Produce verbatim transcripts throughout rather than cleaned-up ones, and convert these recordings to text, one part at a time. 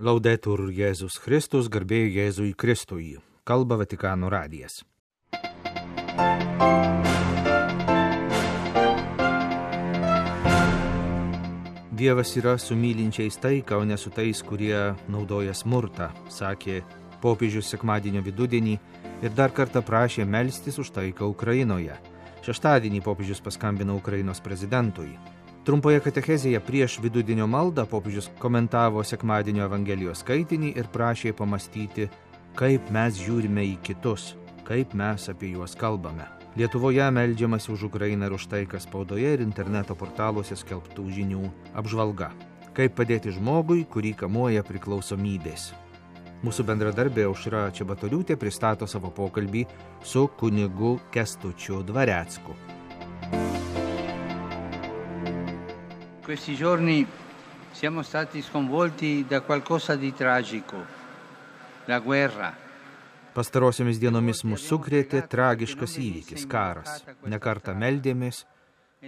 Laudetur Jėzus Kristus, garbė Jėzui Kristui. Kalba Vatikano radijas. Dievas yra su mylinčiais taiką, o ne su tais, kurie naudoja smurtą, sakė popiežius sekmadienio vidudienį ir dar kartą prašė melstis už taiką Ukrainoje. Šeštadienį popiežius paskambino Ukrainos prezidentui. Trumpoje katechezėje prieš vidudienio maldą popiežius komentavo sekmadienio Evangelijos skaitinį ir prašė pamastyti, kaip mes žiūrime į kitus, kaip mes apie juos kalbame. Lietuvoje meldžiamasi už Ukrainą ir už taiką spaudoje ir interneto portaluose skelbtų žinių apžvalga. Kaip padėti žmogui, kurį kamuoja priklausomybės. Mūsų bendradarbė Aušra Čebatoriūtė pristato savo pokalbį su kunigu Kęstučiu Dvarecku. Questi giorni siamo stati sconvolti da qualcosa di tragico, la guerra. Pastarosiomis dienomis mus sukrėtė tragiškas įvykis, karas. Nekartą meldėmės,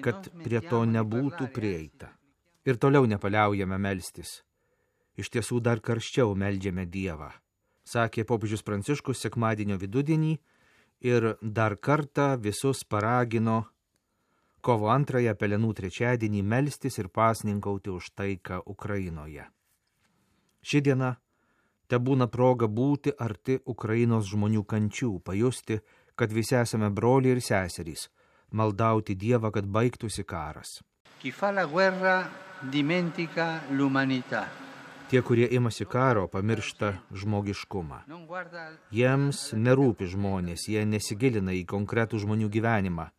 kad prie to nebūtų prieita. Ir toliau nepaliaujame melstis. Iš tiesų dar karščiau meldžiame Dievą, sakė popiežius Pranciškus sekmadienio vidudienį ir dar kartą visus paragino kovo antrąją Pelenų trečiadienį melstis ir pasninkauti už taiką Ukrainoje. Ši diena tebūna proga būti arti Ukrainos žmonių kančių, pajusti, kad visi esame broliai ir seserys, maldauti Dievą, kad baigtųsi karas. Chi fa la guerra dimentica l'umanità. Tie, kurie imasi karo, pamiršta žmogiškumą. Jiems nerūpi žmonės, jie nesigilina į konkretų žmonių gyvenimą,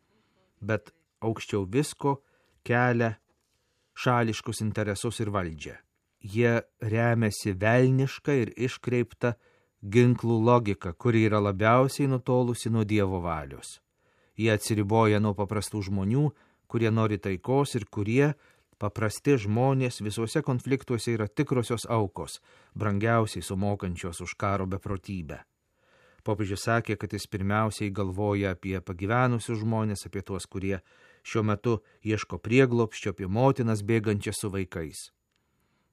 bet aukščiau visko kelia šališkus interesus ir valdžią. Jie remiasi velnišką ir iškreiptą ginklų logiką, kuri yra labiausiai nutolusi nuo Dievo valios. Jie atsiriboja nuo paprastų žmonių, kurie nori taikos ir kurie, paprasti žmonės, visuose konfliktuose yra tikrosios aukos, brangiausiai sumokančios už karo beprotybę. Popiežius sakė, kad jis pirmiausiai galvoja apie pagyvenusius žmonės, apie tuos, kurie šiuo metu ieško prieglobsčio, apie motinas bėgančias su vaikais.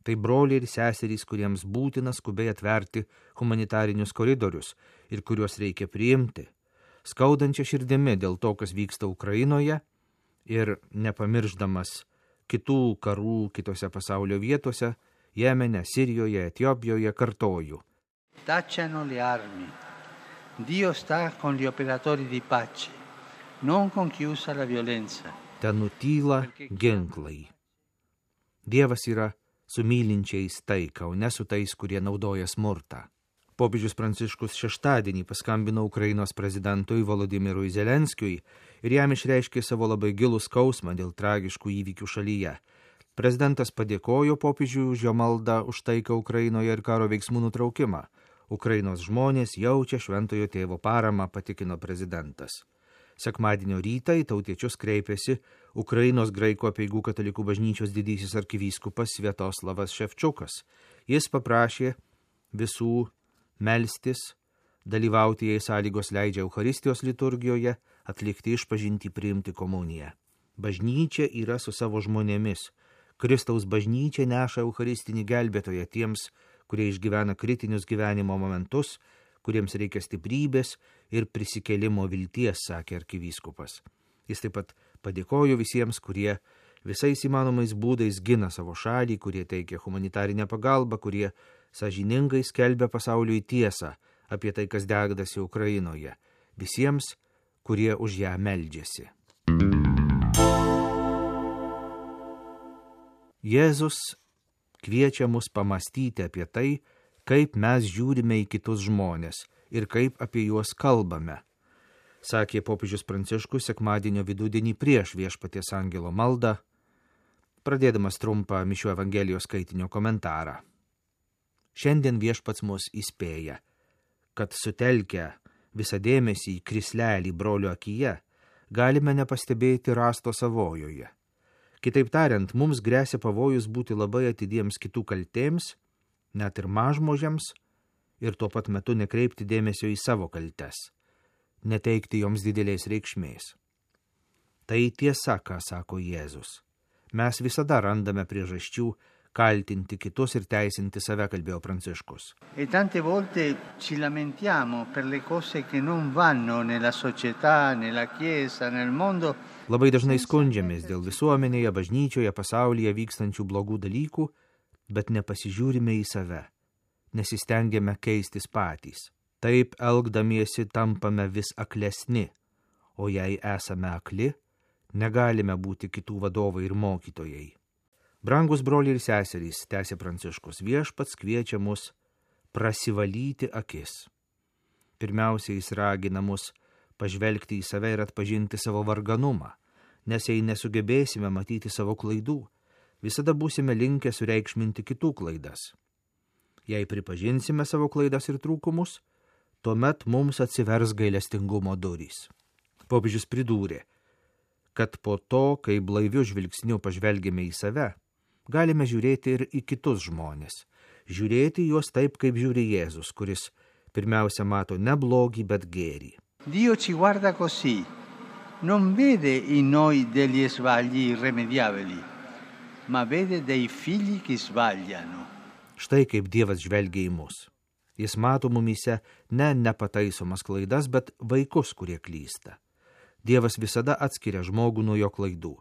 Tai broliai ir seserys, kuriems būtina skubiai atverti humanitarinius koridorius ir kuriuos reikia priimti, skaudančia širdimi dėl to, kas vyksta Ukrainoje ir nepamirždamas kitų karų kitose pasaulio vietose, Jemene, Sirijoje, Etiopijoje, kartoju. Tacciano le armi. Dio sta con gli operatori di pace, non con chi usa la violenza. Ten nutyla ginklai. Dievas yra su mylinčiais taiką, o ne su tais, kurie naudoja smurtą. Popiežius Pranciškus šeštadienį paskambino Ukrainos prezidentui Volodimirui Zelenskiui ir jam išreiškė savo labai gilų skausmą dėl tragiškų įvykių šalyje. Prezidentas padėkojo popiežiui už jo maldą už taiką Ukrainoje ir karo veiksmų nutraukimą. Ukrainos žmonės jaučia šventojo tėvo paramą, patikino prezidentas. Sekmadienio rytą į tautiečius kreipėsi Ukrainos graikų apeigų katalikų bažnyčios didysis arkivyskupas Sviatoslavas Ševčiukas. Jis paprašė visų melstis, dalyvauti, jei sąlygos leidžia Eucharistijos liturgijoje, atlikti išpažintį, priimti komuniją. Bažnyčia yra su savo žmonėmis. Kristaus bažnyčia neša eucharistinį gelbėtoją tiems, kurie išgyvena kritinius gyvenimo momentus, kuriems reikia stiprybės ir prisikėlimo vilties, sakė arkivyskupas. Jis taip pat padėkojo visiems, kurie visais įmanomais būdais gina savo šalį, kurie teikia humanitarinę pagalbą, kurie sąžiningai skelbia pasauliui tiesą apie tai, kas dedasi Ukrainoje. Visiems, kurie už ją meldžiasi. Jėzus kviečia mus pamastyti apie tai, kaip mes žiūrime į kitus žmonės ir kaip apie juos kalbame, sakė popiežius Pranciškus sekmadienio vidudienį prieš Viešpaties angelo maldą, pradėdamas trumpą mišių Evangelijos skaitinio komentarą. Šiandien Viešpats mus įspėja, kad sutelkę visą dėmesį į krislelį brolio akyje, galime nepastebėti rasto savojoje. Kitaip tariant, mums gresia pavojus būti labai atidiems kitų kaltėms, net ir mažmožiams, ir tuo pat metu nekreipti dėmesio į savo kaltes, neteikti joms didelės reikšmės. Tai tiesa, ką sako Jėzus. Mes visada randame priežasčių kaltinti kitus ir teisinti save, kalbėjo Pranciškus. E tante volte ci lamentiamo per le cose che non vanno nella società, nella chiesa, nel mondo. Labai dažnai skundžiamės dėl visuomenėje, bažnyčioje, pasaulyje vykstančių blogų dalykų, bet nepasižiūrime į save, nesistengiame keistis patys. Taip elgdamiesi tampame vis aklesni, o jei esame akli, negalime būti kitų vadovai ir mokytojai. Brangus broliai ir seserys, tęsė Pranciškus, viešpats kviečia mus prasivalyti akis. Pirmiausia, jis ragina mus pažvelgti į save ir atpažinti savo varganumą, nes jei nesugebėsime matyti savo klaidų, visada būsime linkę sureikšminti kitų klaidas. Jei pripažinsime savo klaidas ir trūkumus, tuomet mums atsivers gailestingumo durys. Popiežius pridūrė, kad po to, kai blaiviu žvilgsniu pažvelgėme į save, galime žiūrėti ir į kitus žmonės, žiūrėti juos taip, kaip žiūri Jėzus, kuris pirmiausia mato ne blogį, bet gėrį. Dio ci guarda così, non vede in noi degli sbagli irremediabili, ma vede dei figli che sbagliano. Štai kaip Dievas žvelgia į mus. Jis mato mumyse ne nepataisomas klaidas, bet vaikus, kurie klysta. Dievas visada atskiria žmogų nuo jo klaidų.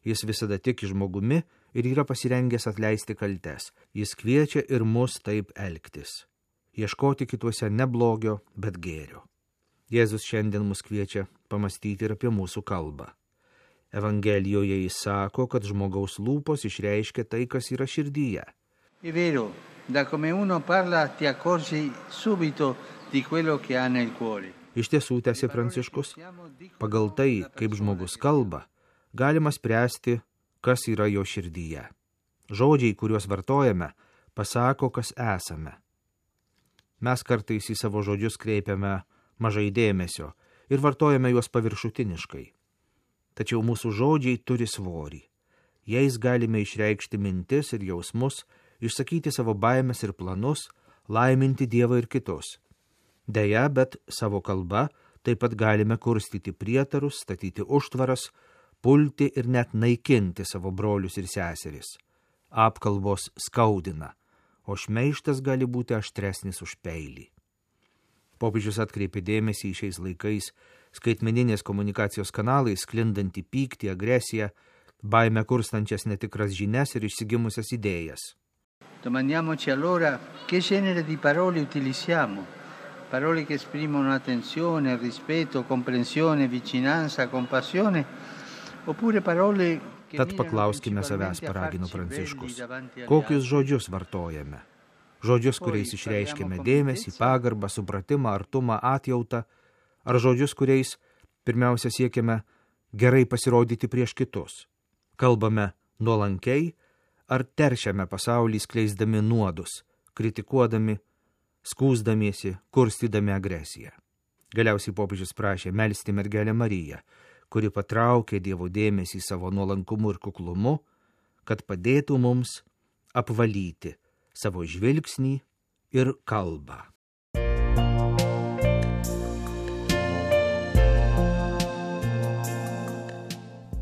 Jis visada tiki žmogumi ir yra pasirengęs atleisti kaltes. Jis kviečia ir mus taip elgtis. Ieškoti kituose ne blogio, bet gėrio. Jėzus šiandien mus kviečia pamastyti ir apie mūsų kalbą. Evangelijoje jis sako, kad žmogaus lūpos išreiškia tai, kas yra širdyje. È vero, da come uno parla ti accorgi subito di quello che ha nel cuore. Iš tiesų, tęsė Pranciškus, pagal tai, kaip žmogus kalba, galima spręsti, kas yra jo širdyje. Žodžiai, kuriuos vartojame, pasako, kas esame. Mes kartais į savo žodžius kreipiame mažai dėmesio ir vartojame juos paviršutiniškai. Tačiau mūsų žodžiai turi svorį. Jais galime išreikšti mintis ir jausmus, išsakyti savo baimes ir planus, laiminti Dievą ir kitus. Deja, bet savo kalba taip pat galime kurstyti prietarus, statyti užtvaras, pulti ir net naikinti savo brolius ir seseris. Apkalbos skaudina, o šmeižtas gali būti aštresnis už peilį. Popiežius atkreipė dėmesį į šiais laikais skaitmeninės komunikacijos kanalais sklindantį pyktį, agresiją, baimę kurstančias netikras žinias ir išsigimusias idėjas. Domandiamoci allora che genere di parole utilizziamo. Parole che esprimono attenzione, rispetto, comprensione, vicinanza, compassione, oppure parole che Tad paklauskime savęs, paragino Pranciškus, kokius žodžius vartojame. Žodžius, kuriais išreiškime dėmesį, pagarbą, supratimą, artumą, atjautą, ar žodžius, kuriais pirmiausia siekiame gerai pasirodyti prieš kitus. Kalbame nuolankiai, ar teršiame pasaulį skleisdami nuodus, kritikuodami, skųsdamiesi, kurstydami agresiją. Galiausiai popiežius prašė melsti mergelę Mariją, kuri patraukė Dievo dėmesį savo nuolankumu ir kuklumu, kad padėtų mums apvalyti savo žvilgsnį ir kalbą.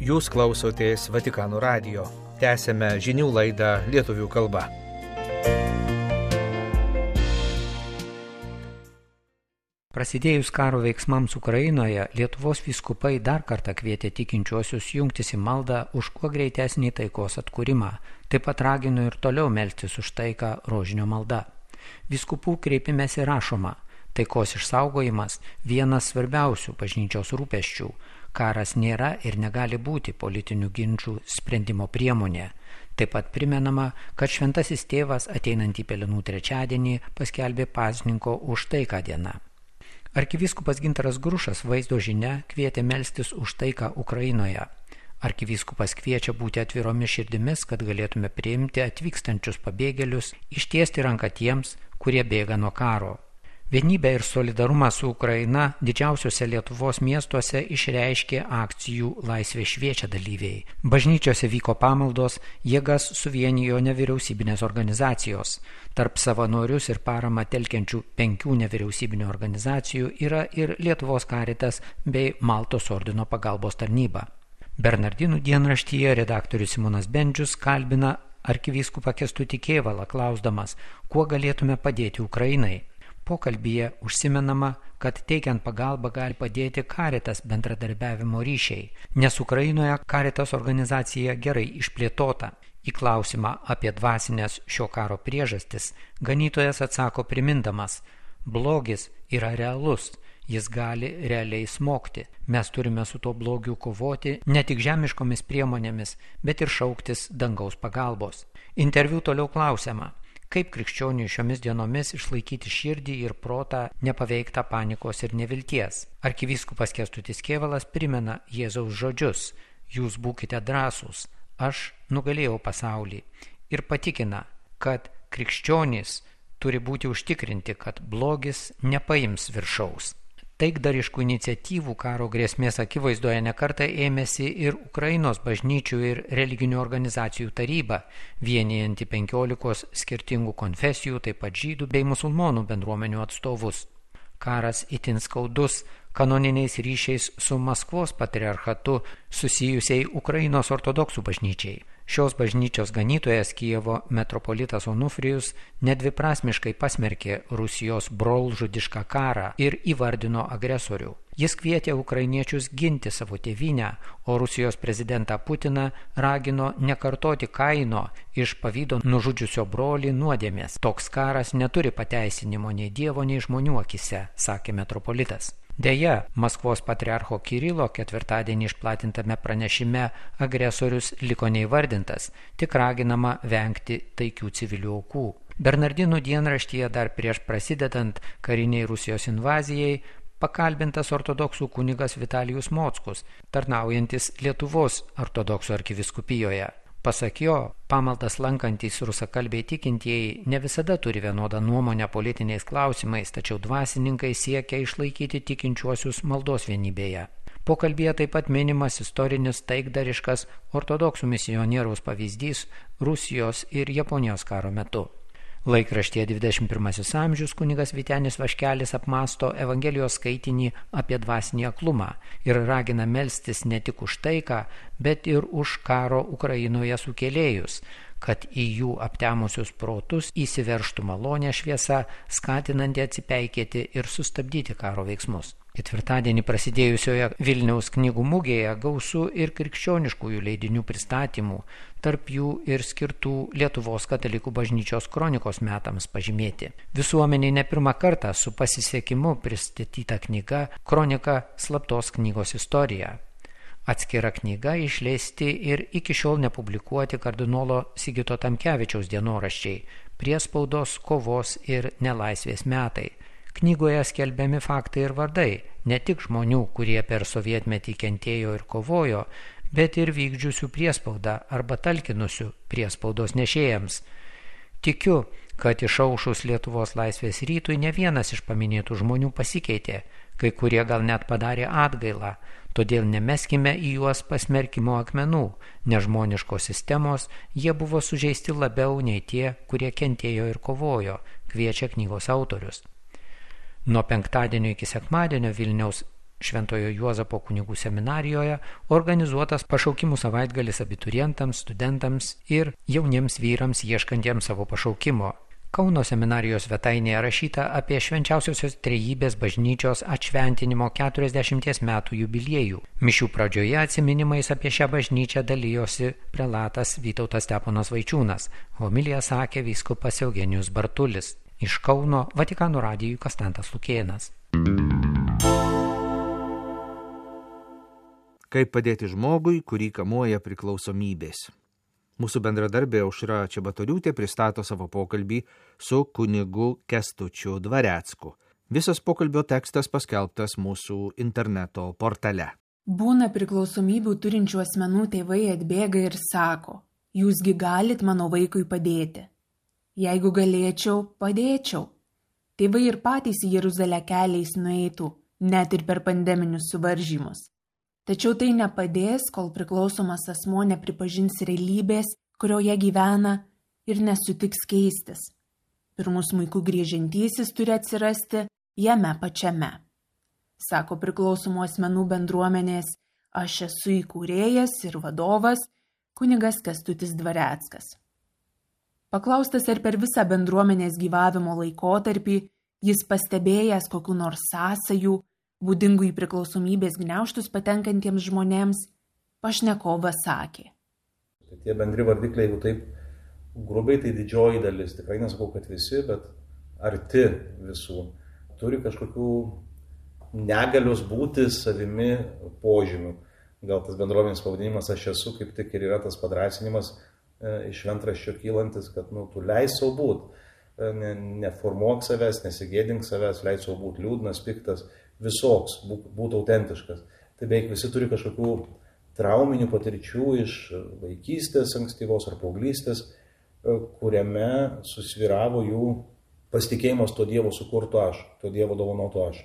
Jūs klausotės Vatikano radijo. Tęsėme žinių laidą lietuvių kalba. Prasidėjus karo veiksmams Ukrainoje, Lietuvos vyskupai dar kartą kvietė tikinčiuosius jungtis į maldą už kuo greitesnį taikos atkūrimą. Taip pat ragino ir toliau melstis už taiką rožinio malda. Vyskupų kreipimėsi rašoma, taikos išsaugojimas vienas svarbiausių bažnyčios rūpesčių. Karas nėra ir negali būti politinių ginčų sprendimo priemonė. Taip pat primenama, kad šventasis tėvas ateinantį Pelenų trečiadienį paskelbė pasninko už taiką dieną. Arkivyskupas Gintaras Grušas vaizdo žinia kvietė melstis už taiką Ukrainoje. Arkivyskupas kviečia būti atviromis širdimis, kad galėtume priimti atvykstančius pabėgėlius, ištiesti ranką tiems, kurie bėga nuo karo. Vienybę ir solidarumą su Ukraina didžiausiuose Lietuvos miestuose išreiškė akcijų Laisvė šviečia dalyviai. Bažnyčiose vyko pamaldos, jėgas suvienijo nevyriausybinės organizacijos. Tarp savanorius ir paramą telkiančių penkių nevyriausybinių organizacijų yra ir Lietuvos Karitas bei Maltos ordino pagalbos tarnyba. Bernardinų dienraštyje redaktorius Simonas Bendžius kalbina arkivyskupą Kęstutį Kėvalą, klausdamas, kuo galėtume padėti Ukrainai. Pokalbyje užsimenama, kad teikiant pagalbą gali padėti Caritas bendradarbiavimo ryšiai, nes Ukrainoje Caritas organizacija gerai išplėtota. Į klausimą apie dvasinės šio karo priežastis ganytojas atsako primindamas, blogis yra realus, jis gali realiai smogti. Mes turime su tuo blogiu kovoti ne tik žemiškomis priemonėmis, bet ir šauktis dangaus pagalbos. Interviu toliau klausiama, kaip krikščioniui šiomis dienomis išlaikyti širdį ir protą nepaveiktą panikos ir nevilties. Arkivyskupas Kęstutis Kėvalas primena Jėzaus žodžius, jūs būkite drąsūs, aš nugalėjau pasaulį, ir patikina, kad krikščionys turi būti užtikrinti, kad blogis nepaims viršaus. Taikdariškų iniciatyvų karo grėsmės akivaizdoje nekartą ėmėsi ir Ukrainos bažnyčių ir religinių organizacijų taryba, vienijanti penkiolikos skirtingų konfesijų, taip pat žydų bei musulmonų bendruomenių atstovus. Karas itin skaudus kanoniniais ryšiais su Maskvos patriarchatu susijusiai Ukrainos ortodoksų bažnyčiai. Šios bažnyčios ganytojas Kijevo metropolitas Onufrijus nedviprasmiškai pasmerkė Rusijos brolžudišką karą ir įvardino agresorių. Jis kvietė ukrainiečius ginti savo tėvynę, o Rusijos prezidentą Putiną ragino nekartoti Kaino iš pavydo nužudžiusio brolį nuodėmės. Toks karas neturi pateisinimo nei Dievo, nei žmonių akise, sakė metropolitas. Deja, Maskvos patriarcho Kirilo ketvirtadienį išplatintame pranešime agresorius liko neįvardintas, tik raginama vengti taikių civilių aukų. Bernardinų dienraštyje dar prieš prasidedant kariniai Rusijos invazijai pakalbintas ortodoksų kunigas Vitalijus Mockus, tarnaujantis Lietuvos ortodoksų arkiviskupijoje. Pasak jo, pamaldas lankantys rusakalbiai tikintieji ne visada turi vienodą nuomonę politiniais klausimais, tačiau dvasininkai siekia išlaikyti tikinčiuosius maldos vienybėje. Pokalbyje taip pat minimas istorinis taikdariškas ortodoksų misionieriaus pavyzdys Rusijos ir Japonijos karo metu. Laikraštyje dvidešimt pirmasis amžius kunigas Vytenis Vaškelis apmąsto Evangelijos skaitinį apie dvasinį aklumą ir ragina melstis ne tik už taiką, bet ir už karo Ukrainoje sukėlėjus, kad į jų aptemusius protus įsiveržtų malonė šviesa, skatinanti atsipeikėti ir sustabdyti karo veiksmus. Ketvirtadienį prasidėjusioje Vilniaus knygų mugėje gausu ir krikščioniškųjų leidinių pristatymų, tarp jų ir skirtų Lietuvos katalikų bažnyčios kronikos metams pažymėti. Visuomeniai ne pirmą kartą su pasisekimu pristatyta knyga Kronika slaptos knygos istorija. Atskira knyga išleisti ir iki šiol nepublikuoti kardinolo Sigito Tamkevičiaus dienoraščiai, priespaudos, kovos ir nelaisvės metai. Knygoje skelbiami faktai ir vardai, ne tik žmonių, kurie per sovietmetį kentėjo ir kovojo, bet ir vykdžiusių priespaudą arba talkinusių priespaudos nešėjams. Tikiu, kad išaušus Lietuvos laisvės rytui ne vienas iš paminėtų žmonių pasikeitė, kai kurie gal net padarė atgailą, todėl nemeskime į juos pasmerkimo akmenų, nežmoniškos sistemos, jie buvo sužeisti labiau nei tie, kurie kentėjo ir kovojo, kviečia knygos autorius. Nuo penktadienio iki sekmadienio Vilniaus Šventojo Juozapo kunigų seminarijoje organizuotas pašaukimų savaitgalis abiturientams, studentams ir jauniems vyrams ieškantiems savo pašaukimo. Kauno seminarijos svetainėje rašyta apie Švenčiausiosios Trejybės bažnyčios atšventinimo keturiasdešimties metų jubiliejų. Mišių pradžioje atsiminimais apie šią bažnyčią dalijosi prelatas Vytautas Steponas Vaičiūnas. Homiliją sakė vyskupas Eugenijus Bartulis. Iš Kauno Vatikano radijui Kastantas Lukėnas. Kaip padėti žmogui, kurį kamuoja priklausomybės. Mūsų bendradarbė Aušra Čebatoriūtė pristato savo pokalbį su kunigu Kęstučiu Dvarecku. Visas pokalbio tekstas paskelbtas mūsų interneto portale. Būna priklausomybių turinčių asmenų tėvai atbėga ir sako, jūsgi galit mano vaikui padėti. Jeigu galėčiau, padėčiau. Tėvai ir patys į Jeruzalę keliais nueitų, net ir per pandeminius suvaržymus. Tačiau tai nepadės, kol priklausomas asmuo nepripažins realybės, kurioje gyvena ir nesutiks keistis. Pirmus smuiku griežiantysis turi atsirasti jame pačiame. Sako priklausomų asmenų bendruomenės, aš esu įkūrėjas ir vadovas kunigas Kęstutis Dvareckas. Paklaustas, ar per visą bendruomenės gyvavimo laikotarpį jis pastebėjęs kokių nors sąsajų, būdingų į priklausomybės gniaužtus patenkantiems žmonėms, pašnekovas sakė. Tie bendri vardikliai, jeigu taip grubiai, tai didžioji dalis, tikrai nesakau, kad visi, bet arti visų, turi kažkokių negalios būti savimi požymių. Gal tas bendruomenės pavadinimas aš esu, kaip tik ir yra tas padrąsinimas e, iš šventraščio kylantis, kad nu, tu leis savo būt, e, ne, neformuok savęs, nesigėdink savęs, leis savo būt liūdnas, piktas, visoks, būk, būt autentiškas. Tai beveik visi turi kažkokių trauminių patirčių iš vaikystės, ankstyvos ar paauglystės, e, kuriame susvyravo jų pasitikėjimas to Dievo sukurto aš, to Dievo dovanoto aš.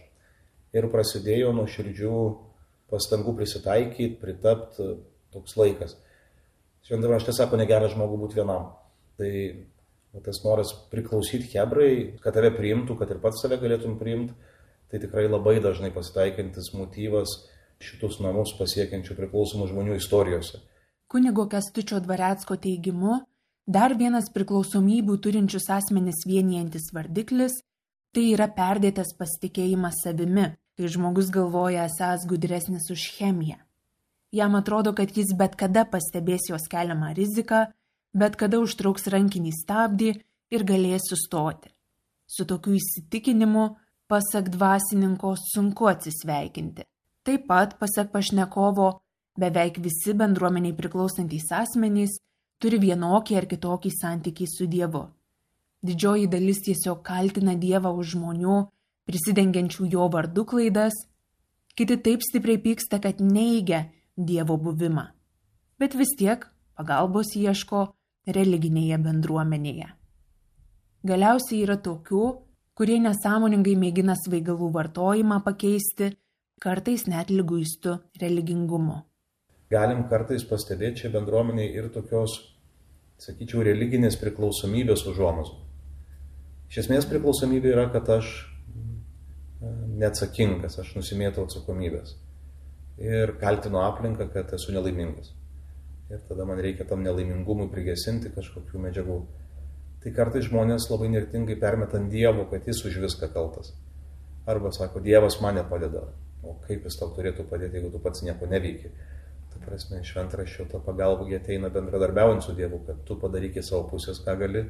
Ir prasidėjo nuo širdžių pastangų prisitaikyti, pritapti toks laikas. Šventame rašte sako, negeras žmogų būti vienam. Tai tas noras priklausyti hebrai, kad tave priimtų, kad ir pats save galėtum priimti, tai tikrai labai dažnai pasitaikantis motyvas šitus namus pasiekiančių priklausomų žmonių istorijose. Kunigo Kęstučio Dvarecko teigimu, dar vienas priklausomybių turinčius asmenis vienijantis vardiklis – tai yra perdėtas pasitikėjimas savimi, kai žmogus galvoja esąs gudresnis už chemiją. Jam atrodo, kad jis bet kada pastebės jos keliamą riziką, bet kada užtrauks rankinį stabdį ir galės sustoti. Su tokiu įsitikinimu, pasak dvasininko, sunku atsisveikinti. Taip pat, pasak pašnekovo, beveik visi bendruomeniai priklausantys asmenys turi vienokį ar kitokį santykį su Dievu. Didžioji dalis tiesiog kaltina Dievą už žmonių, prisidengiančių jo vardu klaidas, kiti taip stipriai pyksta, kad neigia Dievo buvimą, bet vis tiek pagalbos ieško religinėje bendruomenėje. Galiausiai yra tokių, kurie nesąmoningai mėgina svaigalų vartojimą pakeisti, kartais net liguistų religingumu. Galim kartais pastebėti čia bendruomeniai ir tokios, sakyčiau, religinės priklausomybės užuomazgų. Iš esmės priklausomybė yra, kad aš neatsakingas, aš nusimėtau atsakomybės ir kaltinu aplinką, kad esu nelaimingas. Ir tada man reikia tam nelaimingumui prigesinti kažkokių medžiagų. Tai kartais žmonės labai nirtingai permeta ant Dievo, kad jis už viską kaltas. Arba sako, Dievas man nepadeda. O kaip jis tau turėtų padėti, jeigu tu pats nieko neveiki? Ta prasme, šventraščio ta pagalba ateina bendradarbiaujant su Dievu, kad tu padaryki savo pusės, ką gali,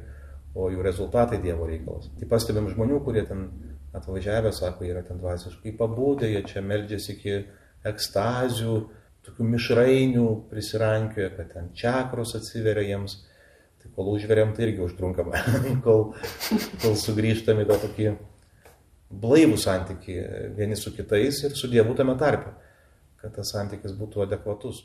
o jų rezultatai Dievo reikalas. Tai pastebim žmonių, kurie ten atvažiavę, sako, yra ten dvasiškai pabudę, jie čia meldžiasi iki ekstazių, tokių mišrainių prisirankioja, kad ten čakros atsiveria jiems. Tai kol užveriam, tai irgi užtrunkama, kol, kol sugrįžtam į tą tokį blaivų santykį vieni su kitais ir su Dievu tame tarpe, kad tas santykis būtų adekvatus.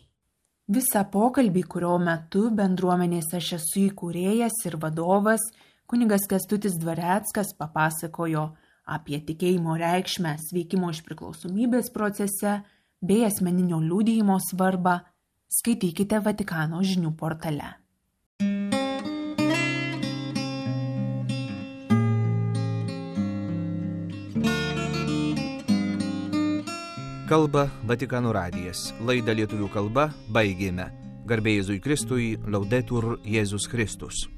Visą pokalbį, kurio metu bendruomenės Aš esu įkūrėjas ir vadovas, kunigas Kęstutis Dvareckas papasakojo apie tikėjimo reikšmę sveikimo iš priklausomybės procese bei asmeninio liudijimo svarbą, skaitykite Vatikano žinių portale. Kalba Vatikano radijas. Laidą lietuvių kalba baigėme. Garbė Jėzui Kristui, Laudetur Jėzus Kristus.